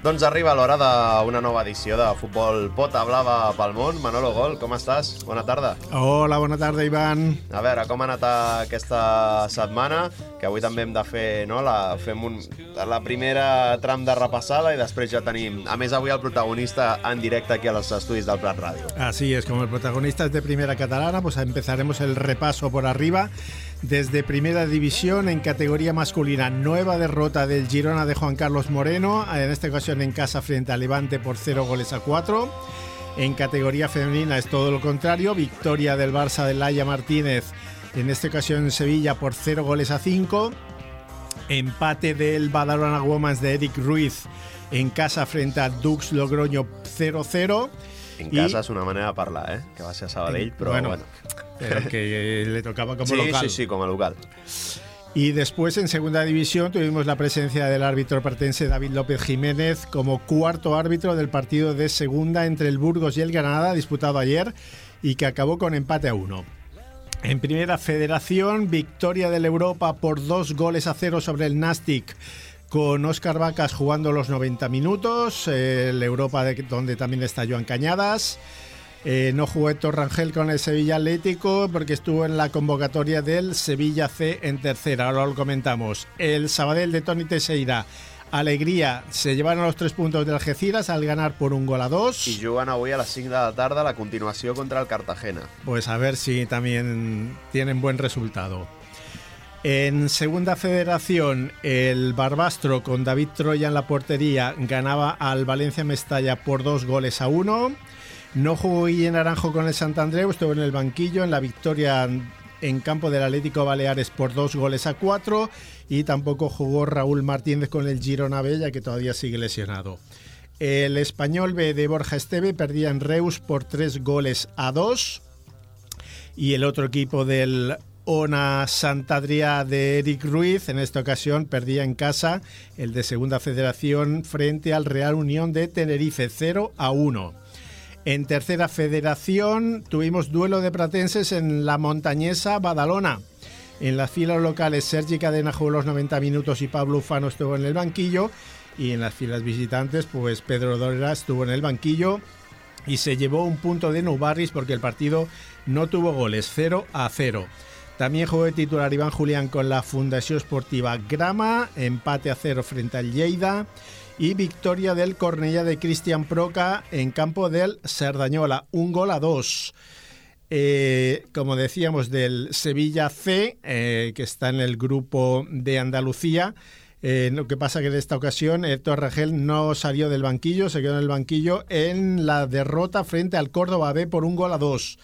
Doncs arriba l'hora d'una nova edició de Futbol Pota Blava pel món. Manolo Gol, com estàs? Bona tarda. Hola, bona tarda, Ivan. A veure, com ha anat aquesta setmana? Que avui també hem de fer, no? Fem la primera tram de repassada i després ja tenim, a més avui el protagonista en directe aquí als estudis del Prat Ràdio. Así es, como el protagonista es de Primera Catalana, pues empezaremos el repaso por arriba. Desde Primera División, en categoría masculina, nueva derrota del Girona de Juan Carlos Moreno, en esta ocasión en casa frente a Levante por 0-4. En categoría femenina es todo lo contrario, victoria del Barça de Laia Martínez, en esta ocasión en Sevilla por 0-5. Empate del Badalona Women's de Eric Ruiz en casa frente a Dux Logroño 0-0. En casa és una manera de parlar, que va ser a Sabadell, però bueno. Pero que le tocaba como local. Sí, como local. Y después en segunda división tuvimos la presencia del árbitro pertense David López Jiménez como cuarto árbitro del partido de segunda entre el Burgos y el Granada, disputado ayer y que acabó con empate a 1. En Primera Federación, victoria del Europa por 2-0 sobre el Nastic, con Óscar Vacas jugando los 90 minutos, el Europa donde también está Joan Cañadas. No jugó Héctor Rangel con el Sevilla Atlético porque estuvo en la convocatoria del Sevilla C en tercera, ahora lo comentamos. El Sabadell de Toni Teixeira, alegría, se llevaron los 3 puntos del Algeciras al ganar por 1-2. I juguen avui a les 5 de la tarda la continuació contra el Cartagena. Pues a ver si también tienen buen resultado. En Segunda Federación, el Barbastro con David Troya en la portería ganaba al Valencia Mestalla por 2-1. No jugó Guillén Naranjo con el Sant Andreu, estuvo en el banquillo en la victoria en campo del Atlético Baleares por 2-4 y tampoco jugó Raúl Martínez con el Girona B, ya que todavía sigue lesionado. El Español B de Borja Esteve perdía en Reus por 3-2 y el otro equipo del Ona Sant Adrià de Eric Ruiz, en esta ocasión perdía en casa, el de Segunda Federación frente al Real Unión de Tenerife 0-1. En Tercera Federación tuvimos duelo de pratenses en la montañesa Badalona. En las filas locales Sergi Cadena jugó los 90 minutos y Pablo Ufano estuvo en el banquillo, y en las filas visitantes pues Pedro Dora estuvo en el banquillo y se llevó un punto de Nou Barris porque el partido no tuvo goles, 0-0. También jugó de titular Iván Julián con la Fundació Esportiva Grama, empate a 0 frente al Lleida y victoria del Cornellà de Cristian Proca en campo del Cerdanyola, 1-2. Como decíamos, del Sevilla C, que está en el grupo de Andalucía. Lo que pasa que en esta ocasión Héctor Rangel no salió del banquillo, se quedó en el banquillo en la derrota frente al Córdoba B por 1-2.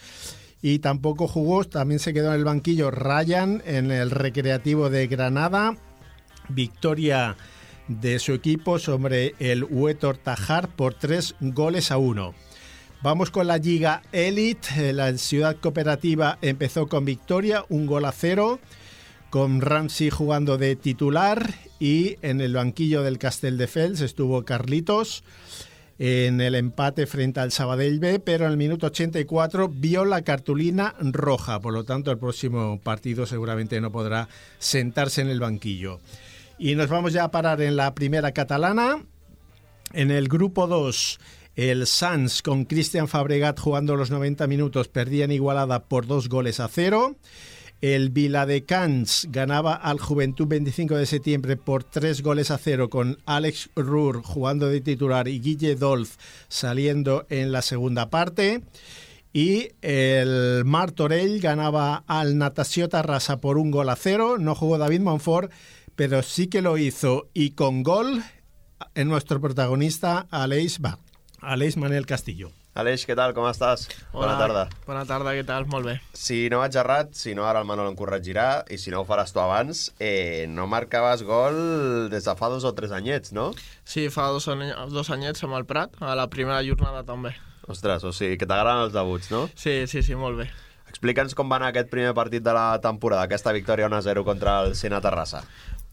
Y tampoco jugó, también se quedó en el banquillo Ryan en el Recreativo de Granada. Victoria de su equipo sobre el Huétor Tajar por 3-1. Vamos con la Liga Elite. La Ciudad Cooperativa empezó con victoria, 1-0, con Ramsey jugando de titular, y en el banquillo del Castelldefels estuvo Carlitos en el empate frente al Sabadell B, pero en el minuto 84 vio la cartulina roja, por lo tanto el próximo partido seguramente no podrá sentarse en el banquillo. Y nos vamos ya a parar en la Primera Catalana. En el grupo 2, el Sants con Cristian Fabregat jugando los 90 minutos perdía en Igualada por 2-0. El Viladecans ganaba al Juventud 25 de septiembre por 3-0 con Alex Ruhr jugando de titular y Guille Dolz saliendo en la segunda parte. Y el Martorell ganaba al Natació Terrassa por 1-0. No jugó David Monfort, pero sí que lo hizo, y con gol en nuestro protagonista Aleix Manel Castillo. Aleix, què tal? Com estàs? Hola, Bona tarda. Bona tarda, què tal? Molt bé. Si no vaig errat, si no ara el Manolo em corregirà, i si no ho faràs tu abans, no marcaves gol des de fa 2 o 3 anyets, no? Sí, fa dos anyets amb el Prat, a la primera jornada també. Ostres, o sigui que t'agraden els debuts, no? Sí, molt bé. Explica'ns com va anar aquest primer partit de la temporada, aquesta victòria 1-0 contra el Sena Terrassa.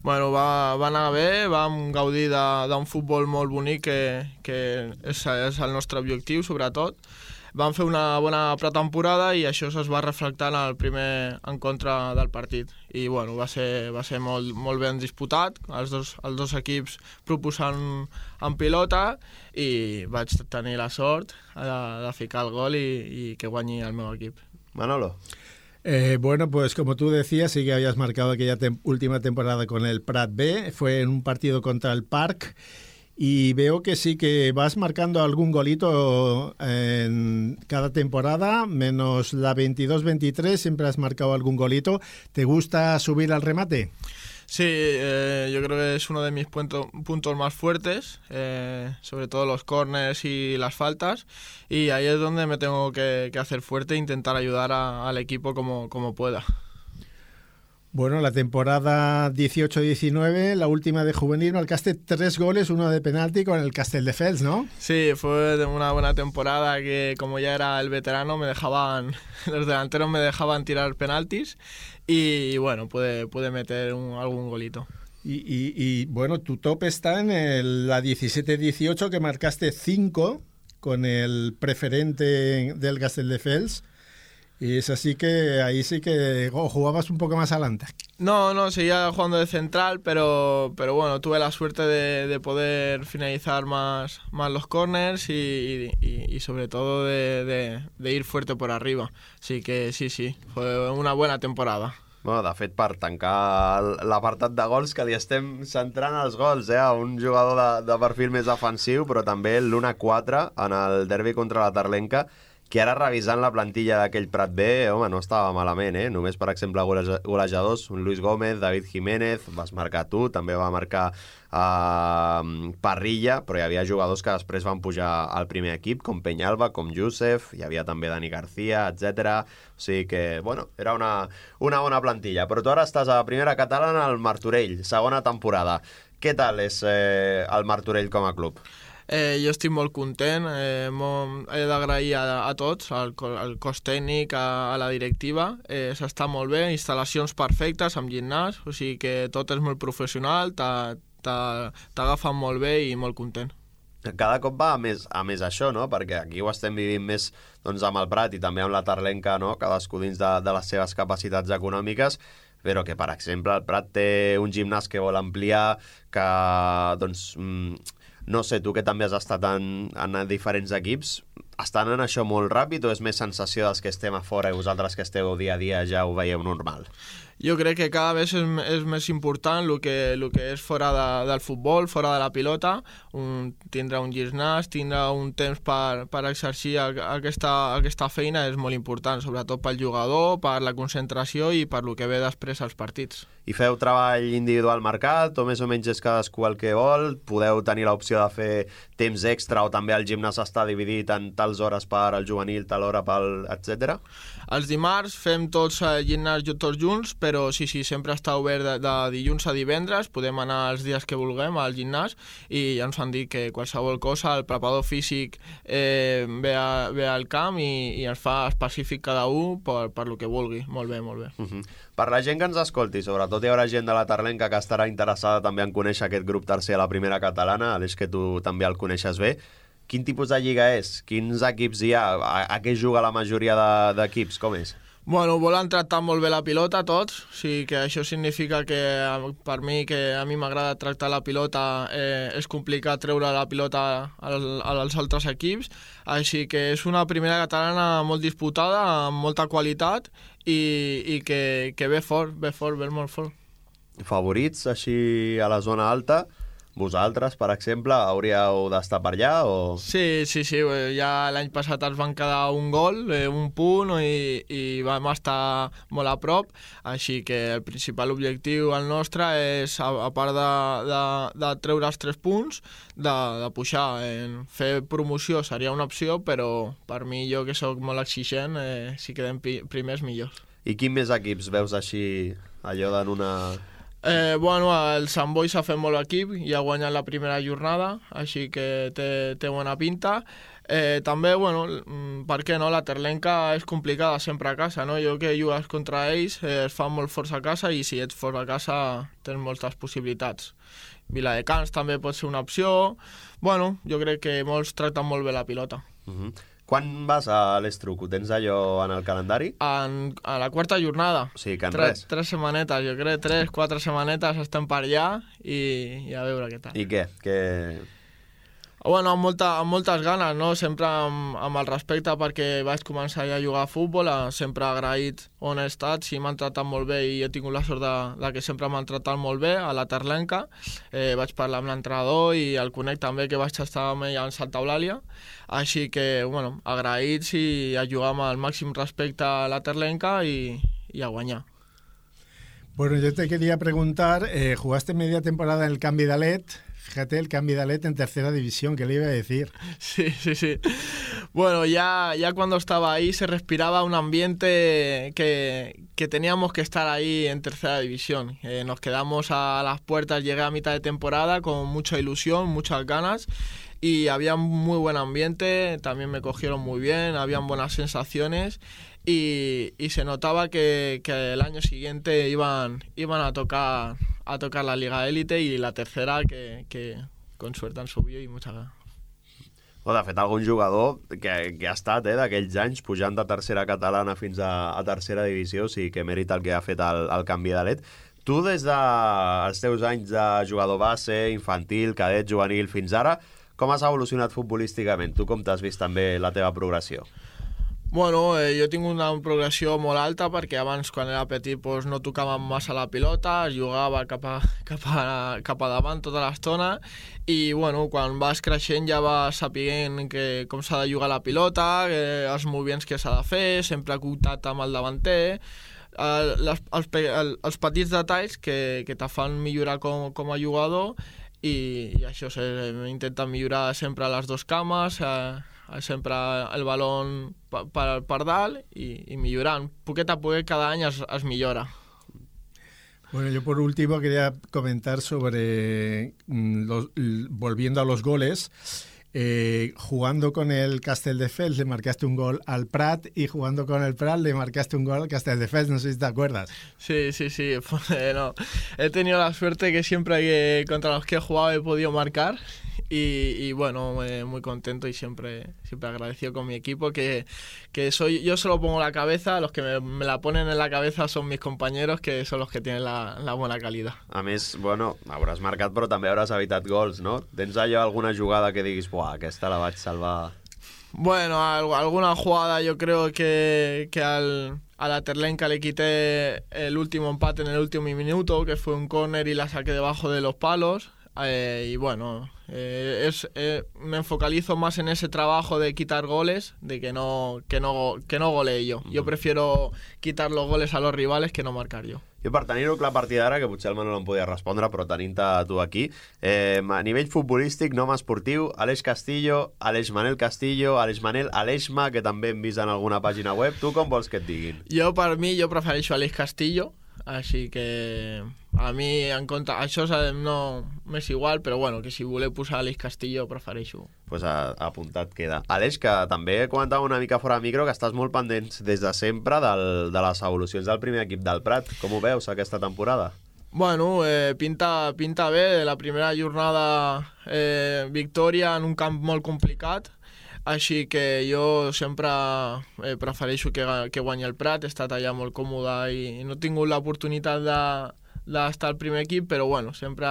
Bueno, va anar bé, vam gaudir d'un futbol molt bonic que és el nostre objectiu, sobretot. van fer una bona pretemporada i això es va reflectar en el primer encontre del partit. I bueno, va ser molt ben disputat, els dos equips proposant en pilota, i vaig tenir la sort de ficar el gol i que guanyi el meu equip. Manolo. Bueno, pues como tú decías, sí que habías marcado aquella última temporada con el Prat B, fue en un partido contra el Parc, y veo que sí que vas marcando algún golito en cada temporada, menos la 22-23, siempre has marcado algún golito. ¿Te gusta subir al remate? Sí, yo creo que es uno de mis puntos más fuertes, sobre todo los córners y las faltas, y ahí es donde me tengo que hacer fuerte e intentar ayudar al equipo como pueda. Bueno, la temporada 18-19, la última de juvenil, marcaste 3 goles, uno de penalti con el Castelldefels, ¿no? Sí, fue una buena temporada que, como ya era el veterano, los delanteros me dejaban tirar penaltis y bueno, pude meter algún golito. Y bueno, tu top está en la 17-18, que marcaste 5 con el preferente del Castelldefels. Y es así que ahí sí que jugabas un poco más adelante. No, seguía jugando de central, pero bueno, tuve la suerte de poder finalizar más los corners y sobre todo de ir fuerte por arriba. Así que sí, fue una buena temporada. Bueno, de fet, per tancar l'apartat de gols, que li estem centrant els gols, un jugador de perfil més defensiu, però també l'1-4 en el derbi contra la Terlenca, que ara revisant la plantilla d'aquell Prat B, home, no estava malament, Només, per exemple, golejadors, un Luis Gómez, David Jiménez, vas marcar tu, també va marcar Parrilla, però hi havia jugadors que després van pujar al primer equip, com Peñalba, com Youssef, hi havia també Dani García, etc. O sigui que, bueno, era una bona plantilla. Però tu ara estàs a primera catalana al Martorell, segona temporada. Què tal és el Martorell com a club? Jo estic molt content, he d'agrair a tots, al cos tècnic, a la directiva, s'està molt bé, instal·lacions perfectes amb gimnàs, o sigui que tot és molt professional, t'agafen molt bé i molt content. Cada cop va a més això, no? Perquè aquí ho estem vivint més amb el Prat i també amb la Terlenca, no? Cadascú dins de les seves capacitats econòmiques, però que, per exemple, el Prat té un gimnàs que vol ampliar, que, no sé, tu que també has estat en diferents equips, estan en això molt ràpid o és més sensació dels que estem a fora i vosaltres que esteu dia a dia ja ho veieu normal? Jo crec que cada vegada és més important el que és fora del futbol, fora de la pilota, tindre un gimnàs, tindre un temps per exercir aquesta feina és molt important, sobretot pel jugador, per la concentració i per el que ve després als partits. I feu treball individual marcat o més o menys és cadascú el que vol? Podeu tenir l'opció de fer temps extra o també el gimnàs està dividit en tals hores per al juvenil, tal hora pel etc? Els dimarts fem tots el gimnàs tots junts, però sí, sempre està obert de dilluns a divendres, podem anar els dies que vulguem al gimnàs i ja ens han dit que qualsevol cosa, el preparador físic ve al camp i ens fa específic cada un per lo que vulgui. Molt bé, molt bé. Per la gent que ens escolti, sobretot hi haurà gent de la Terlenca que estarà interessada també en conèixer aquest grup tercer a la primera catalana, Aleix, que tu també el coneixes bé. Quin tipus de lliga és? Quins equips hi ha? A què juga la majoria d'equips? Com és? Bueno, volen tractar molt bé la pilota tots, o sigui que això significa que per mi, que a mi m'agrada tractar la pilota, és complicat treure la pilota als altres equips, així que és una primera catalana molt disputada, amb molta qualitat i que ve molt fort. Favorits així a la zona alta? Vosaltres, per exemple, hauríeu d'estar per allà? O... Sí, ja l'any passat ens van quedar un gol, un punt, i vam estar molt a prop, així que el principal objectiu el nostre és, a part de treure els 3 punts, de pujar. Fer promoció seria una opció, però per mi, jo que sóc molt exigent, si quedem primers, millor. I quin més equips veus així, allò d'en una... Bueno, el Sant Boi s'ha fet molt equip i ha guanyat la primera jornada, així que té bona pinta. També, bueno, per què no? La Terlenca és complicada sempre a casa, no? Jo que jugues contra ells es fan molt forts a casa i si ets fort a casa tens moltes possibilitats. Viladecans també pot ser una opció. Bueno, jo crec que molts tracten molt bé la pilota. Quan vas a l'Estruc? Ho tens allò en el calendari? A la quarta jornada. O sigui, que en res. 3 setmanetes, jo crec, 3-4 setmanetes estem per allà i a veure què tal. I què? Bueno, amb moltes ganes, no? Sempre amb el respecte perquè vaig començar ja a jugar a futbol, sempre agraït on he estat, si m'han tratat molt bé i he tingut la sort de que sempre m'han tratat molt bé, a la Terlenca. Vaig parlar amb l'entrenador i el conec també, que vaig estar amb ell en Santa Eulàlia, així que, bueno, agraïts i a jugar amb el màxim respecte a la Terlenca i a guanyar. Bueno, yo te quería preguntar, jugaste media temporada en el Can Vidalet. Fíjate, el Can Vidalet en tercera división, ¿qué le iba a decir? Sí. Bueno, ya cuando estaba ahí se respiraba un ambiente que teníamos que estar ahí en tercera división. Nos quedamos a las puertas, llegué a mitad de temporada con mucha ilusión, muchas ganas y había muy buen ambiente, también me cogieron muy bien, habían buenas sensaciones y se notaba que el año siguiente iban a tocar la Liga Élite i la tercera que con suerte han subido i mucha ganas. De fet, algun jugador que ha estat d'aquells anys pujant de tercera catalana fins a tercera divisió, o sigui que mèrita el que ha fet el Can Vidalet. Tu, des dels teus anys de jugador base, infantil, cadet, juvenil, fins ara, com has evolucionat futbolísticament? Tu com t'has vist també la teva progressió? Bueno, jo tinc una progressió molt alta perquè abans, quan era petit, pues, no tocava massa la pilota, jugava cap a davant tota l'estona i bueno, quan vas creixent ja vas sapient com s'ha de jugar la pilota, els moviments que s'ha de fer, sempre contacte amb el davanter, els petits detalls que te fan millorar com a jugador i això, intenta millorar sempre a les dues cames, sempre el balón per dalt i millorant. Poquet a poquet cada any es millora. Bueno, yo por último quería comentar sobre, volviendo a los goles, jugando con el Castelldefels le marcaste un gol al Prat y jugando con el Prat le marcaste un gol al Castelldefels, no sé si te acuerdas. Sí. No. He tenido la suerte que siempre contra los que he jugado he podido marcar. Y bueno, muy contento y siempre agradecido con mi equipo, que yo solo pongo la cabeza, los que me la ponen en la cabeza son mis compañeros, que son los que tienen la buena calidad. A més, bueno, hauràs marcat però també hauràs evitat gols, no? Tens allò alguna jugada que diguis, buah, aquesta la vaig salvar? Bueno, alguna jugada yo creo que a la Terlenca le quité el último empate en el último minuto, que fue un córner y la saqué debajo de los palos. Y bueno, me enfocalizo más en ese trabajo de quitar goles, de que no golee yo. Jo prefiero quitar los goles a los rivales que no marcar yo. Jo, per tenir-ho clar a partir d'ara, que potser el Manol em podia respondre, però tenint-te tu aquí, a nivell futbolístic, nom esportiu, Aleix Castillo, Aleix Manel Castillo, Aleix Manel Aleixma, que també hem vist en alguna pàgina web. Tu com vols que et diguin? Jo, per mi, jo prefereixo Aleix Castillo, així que a mi en compte això no m'és igual, però bueno, que si voleu posar Aleix Castillo prefereixo. Pues apuntat queda. Aleix, que també comentava una mica fora de micro que estàs molt pendents des de sempre de les evolucions del primer equip del Prat. Com ho veus aquesta temporada? Bueno, pinta bé. La primera jornada victòria en un camp molt complicat, així que jo sempre prefereixo que guanyi el Prat. He estat allà molt còmode i no he tingut l'oportunitat d'estar al primer equip, però bueno, sempre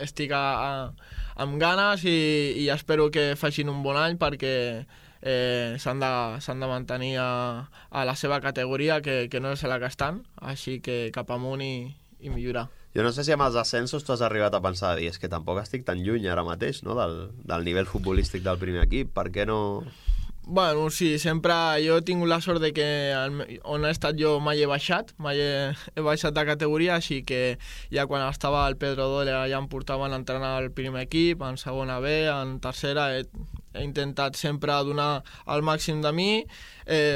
estic amb ganes i espero que facin un bon any perquè s'han de mantenir a la seva categoria, que no és la que estan, així que cap amunt i millorar. Jo no sé si amb els ascensos tu has arribat a pensar dir, és que tampoc estic tan lluny ara mateix, no?, del nivell futbolístic del primer equip, per què no...? Bueno, sí, sempre jo he tingut la sort de que on he estat jo mai he baixat, he baixat de categoria, així que ja quan estava al Pedro Doyle ja em portaven a entrenar al primer equip, en segona B, en tercera, he intentat sempre donar el màxim de mi,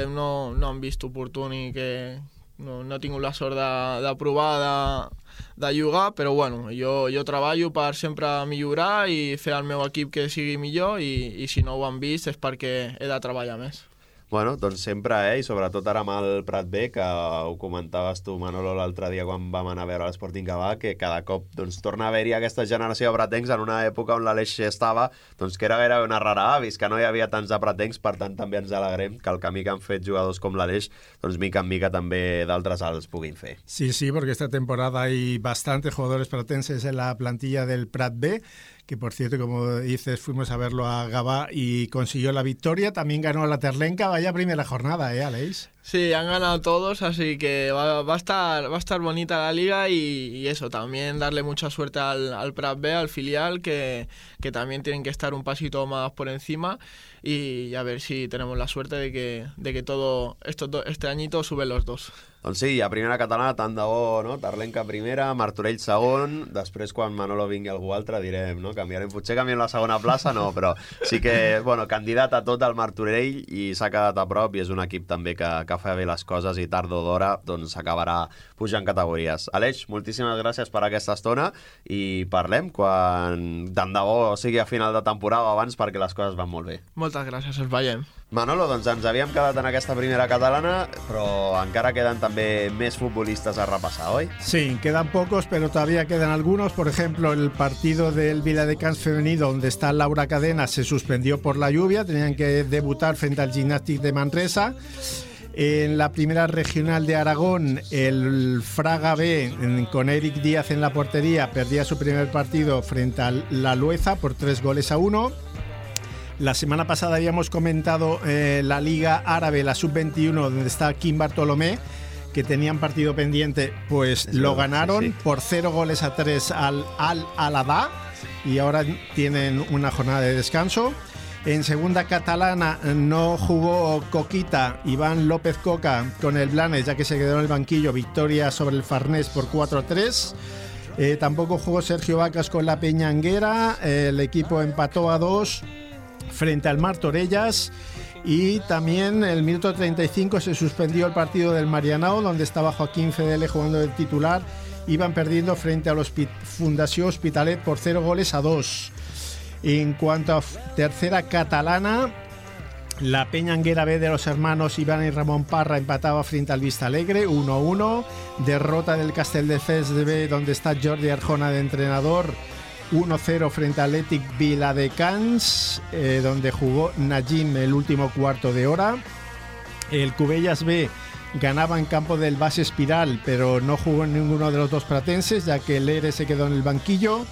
no hem vist oportuni que no he tingut la sort de provar de jugar, però bueno, jo treballo per sempre millorar i fer el meu equip que sigui millor i si no ho han vist és perquè he de treballar més. Bueno, doncs sempre, i sobretot ara amb el Prat B, que ho comentaves tu, Manolo, l'altre dia quan vam anar a veure l'Sporting Gavà, que cada cop doncs, torna a haver-hi aquesta generació de pratencs en una època on l'Aleix estava, doncs que era gairebé una rara avis, que no hi havia tants de pratencs, per tant també ens alegrem que el camí que han fet jugadors com l'Aleix, doncs mica en mica també d'altres els puguin fer. Sí, porque esta temporada hay bastantes jugadores pratenses en la plantilla del Prat B, que por cierto, como dices, fuimos a verlo a Gavà y consiguió la victoria. También ganó la Terlenca, vaya primera jornada, Aleix? Sí, han ganado todos, así que va a estar bonita la liga y eso, también darle mucha suerte al Prat B, al filial, que también tienen que estar un pasito más por encima y a ver si tenemos la suerte de que todo este añito suben los dos. Doncs sí, a primera catalana, tant de bo, no? Terlenca primera, Martorell segon, després quan Manolo vingui algú altre direm, no? Potser canviem la segona plaça, no, però sí que, bueno, candidat a tot el Martorell i s'ha quedat a prop i és un equip també que fa bé les coses i tard o d'hora doncs s'acabarà pujant categories. Aleix, moltíssimes gràcies per aquesta estona i parlem quan tant de bo sigui a final de temporada o abans perquè les coses van molt bé. Moltes gràcies, us veiem. Manolo, doncs ens havíem quedat en aquesta primera catalana, pero encara quedan también més futbolistas a repasar, ¿hoy? Sí, quedan pocos, pero todavía quedan algunos. Por ejemplo, el partido del Viladecans femenino, donde está Laura Cadena, se suspendió por la lluvia. Tenían que debutar frente al Gimnàstic de Manresa. En la primera regional de Aragón, el Fraga B, con Eric Díaz en la portería, perdía su primer partido frente a la Lueza por 3-1. La semana pasada habíamos comentado la Liga Árabe, la Sub-21, donde está Kim Bartolomé, que tenían partido pendiente, pues lo ganaron por 0-3 al Al-Alada y ahora tienen una jornada de descanso. En segunda catalana no jugó Coquita, Iván López Coca con el Blanes, ya que se quedó en el banquillo, victoria sobre el Farnés por 4-3. Tampoco jugó Sergio Vacas con la Peñanguera, el equipo empató a 2 frente al Martorellas y también el minuto 35 se suspendió el partido del Marianao, donde estaba Joaquín Fedele jugando de titular. Iban perdiendo frente a los Fundació Hospitalet por 0-2. En cuanto a tercera catalana, la Peñanguera B de los hermanos Iván y Ramón Parra empataba frente al Vista Alegre 1-1. Derrota del Castelldefels B, donde está Jordi Arjona de entrenador, 1-0 frente al Athletic Viladecans, donde jugó Najim el último cuarto de hora. El Cubellas B ganaba en campo del Base Espiral, pero no jugó en ninguno de los dos pratenses, ya que el ERE se quedó en el banquillo.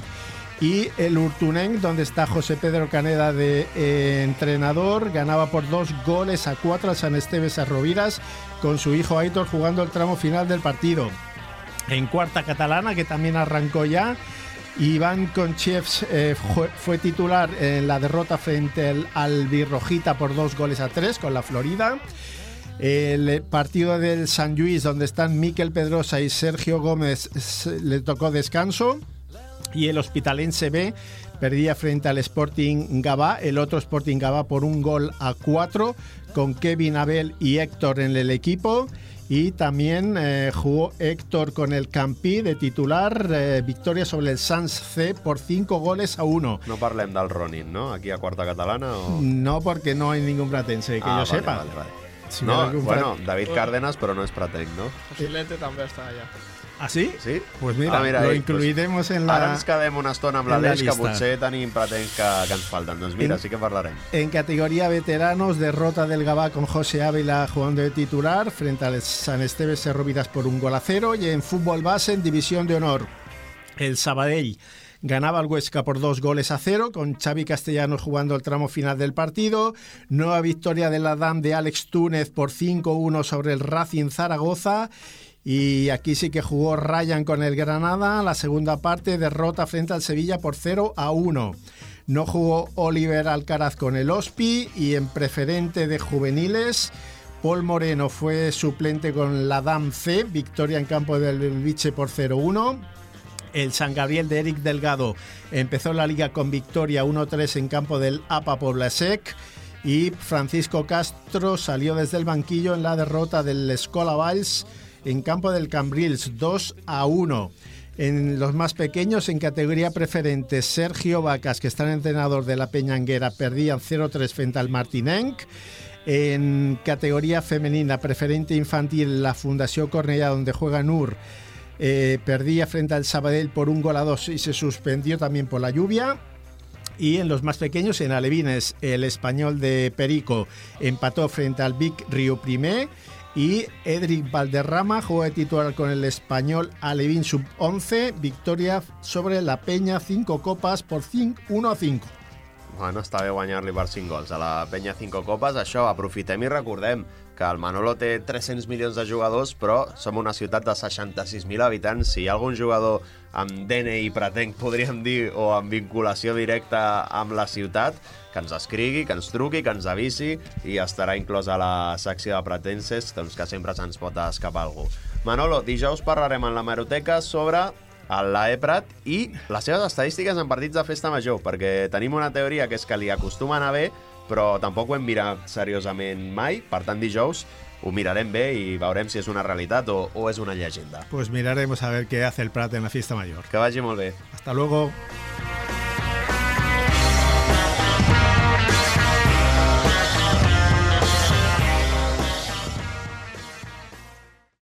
Y el Urtuneng, donde está José Pedro Caneda de entrenador, ganaba por 2-4 al San Esteves Arroviras, con su hijo Aitor jugando el tramo final del partido. En cuarta catalana, que también arrancó ya, Iván Conchevs fue titular en la derrota frente al Albirrojita por 2-3 con la Florida. El partido del San Lluís, donde están Miquel Pedrosa y Sergio Gómez, le tocó descanso. Y el Hospitalense B perdía frente al Sporting Gavà, el otro Sporting Gavà, por 1-4, con Kevin, Abel y Héctor en el equipo. Y también jugó Héctor con el Campí de titular, victoria sobre el Sans C por 5-1. No parlem del Ronin, ¿no? Aquí a cuarta catalana o... No, porque no hay ningún pratense que yo sepa. Vale. Si no, bueno, David Cárdenas, però no és pratenc, no? José Lente també està allà. ¿Ah, sí? Sí. Pues mira, lo incluiremos en la... Ara ens quedem una estona amb l'Aleix, que potser tenim pratencs que ens falten. Doncs mira, sí que parlarem. En categoría veteranos, derrota del Gavà con José Ávila jugando de titular frente al San Esteves Serrovidas por 1-0. Y en fútbol base, en división de honor, el Sabadell ganaba al Huesca por 2-0, con Xavi Castellanos jugando el tramo final del partido. Nueva victoria del Adam de Alex Túnez por 5-1 sobre el Racing Zaragoza. Y aquí sí que jugó Ryan con el Granada. La segunda parte, derrota frente al Sevilla por 0-1. No jugó Oliver Alcaraz con el Hospi. Y en preferente de juveniles, Paul Moreno fue suplente con la DAM C. Victoria en campo del Belviche por 0-1. El San Gabriel de Eric Delgado empezó la liga con victoria 1-3 en campo del APA Poblasec. Y Francisco Castro salió desde el banquillo en la derrota del Escola Valls en campo del Cambrils 2-1. En los más pequeños, en categoría preferente, Sergio Vacas, que está en entrenador de la Peñanguera, perdían 0-3 frente al Martinenc. En categoría femenina preferente infantil, la Fundación Cornellá, donde juega Nur, perdía frente al Sabadell por 1-2 y se suspendió también por la lluvia. Y en los más pequeños, en alevines, el Español de Perico empató frente al Vic Río Primer y Edric Valderrama jugó de titular con el Español Alevín Sub-11, victòria sobre la Penya 5 copes por 1-5. Bueno, està bé guanyar-li per 5 gols a la Penya 5 copes. Això, aprofitem i recordem que el Manolo té 300 milions de jugadors, però som una ciutat de 66.000 habitants. Si hi ha algun jugador amb DNI pretenc, podríem dir, o amb vinculació directa amb la ciutat, que ens escrigui, que ens truqui, que ens avisi i estarà inclòs a la secció de pretenses, doncs que sempre se'ns pot escapar algú. Manolo, dijous parlarem en l'hemeroteca sobre l'Eprat i les seves estadístiques en partits de festa major, perquè tenim una teoria que és que li acostuma a anar bé, però tampoc ho hem mirat seriosament mai. Per tant, dijous ho mirarem bé i veurem si és una realitat o és una llegenda. Pues miraremos a ver qué hace el Prat en la fiesta mayor. Que vagi molt bé. Hasta luego.